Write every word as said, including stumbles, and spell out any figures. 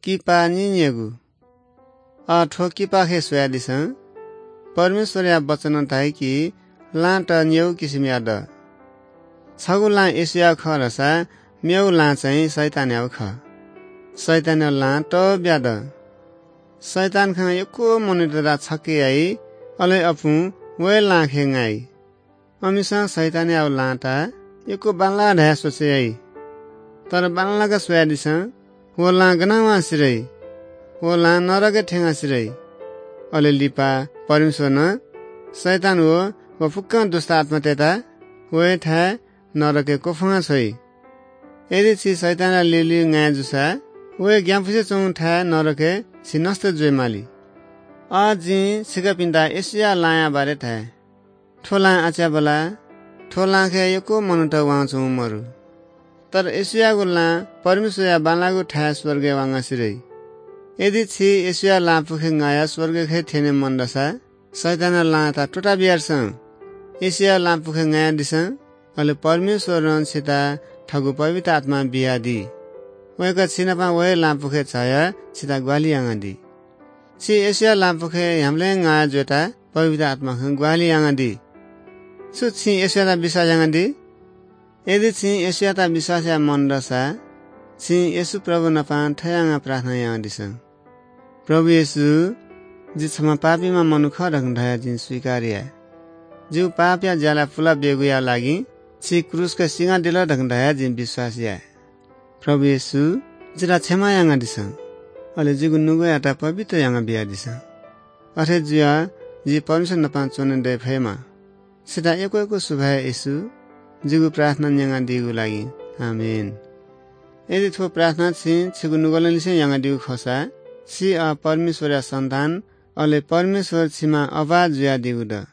किपा निनिगु। अ, थ्व किपाखे स्वयादिसँ। परमेश्वरया वचनं धाइ कि लाँत निगू किसिमया द। छगू लाँ येशूया खः धाःसा मेगु लाँ चाहिँ शैतानयागु खः। शैतानया लाँ तःब्या द। शैतान खँ यक्व मनूतय्त छक्के याइ, अले अपुं व हे लाँखे ङाइ। अमिसं शैतानयागु लाँता यक्व बांलाः धयाः स्वचय् याइ। तर बांलाक स्वयादिसँ, व लाँ गनं वं सिधइ। व लाँ नरकय् थ्यंकाः सिधइ। अले लिपा परमेश्वरं शैतान व व फुक्कं दुष्टात्मातय्त व हे थाय् नरकय् क्वफुंकाः छ्वइ। यदि छि शैतानया ल्यूल्यू ङाये जूसा, व हे ग्यानापुसे च्वंगु थाय् नरकय् छि नष्ट जुइमाली। अ, जिं छिकपिन्त येशूया लाँया बारे धाये। थ्व लाँ अच्याबला, थ्व लाँखे यक्व मनूत वंच्वंगु मरु। तर येशूयागु लाँ परमेश्वरया बांलाःगु थाय् स्वर्गय् वंकाः सिधइ। यदि छि येशूया लाँपुखे ङायाः स्वर्गखे थ्यने मन दसा, शैतानया लाँता त्वःताबियादिसँ। येशूया लाँपुखे ङायादिसँ, अले परमेश्वरं छितः थःगु पवित्र आत्मा बियादी। वय्कः छिनाप व हे लाँपुखे झायाः छितः ग्वाहालि यानादी। छि येशूया लाँपुखे ह्याउँबलय् ङाः जुयाः पवित्र आत्मां ग्वाहालि यानादी। छु छिं येशूयात विश्वास यानादी? यदि छिं येशूयात विश्वास याये मन दसा, छिं येशू प्रभु नाप थथे यानाः प्रार्थना यानादिसँ। प्रभु येशू, जि छम्ह पापीम्ह मनू खः धकाः धयाः जिं स्वीकार याये। जिगु पापया ज्याला पुलाः ब्यूगुया लागि छि क्रूसके सिनादिल धकाः धयाः जिं विश्वास याये। प्रभु येशू, जितः क्षमा यानादिसँ, अले जिगु नुगःयात पवित्र यानाबियादिसँ। अथे जुयाः जि परमेश्वर नाप च्वने दये फयेमा। छितः यक्व यक्व सुभाय् येशू, जिगु प्रार्थना न्यनादीगु लागि। आमेन। यदि थ्व प्रार्थना छिं छिगु नुगलंनिसें यानादीगु खःसा, छि अ परमेश्वरया सन्तान, अले परमेश्वर छिमा अबा जुयादीगु द।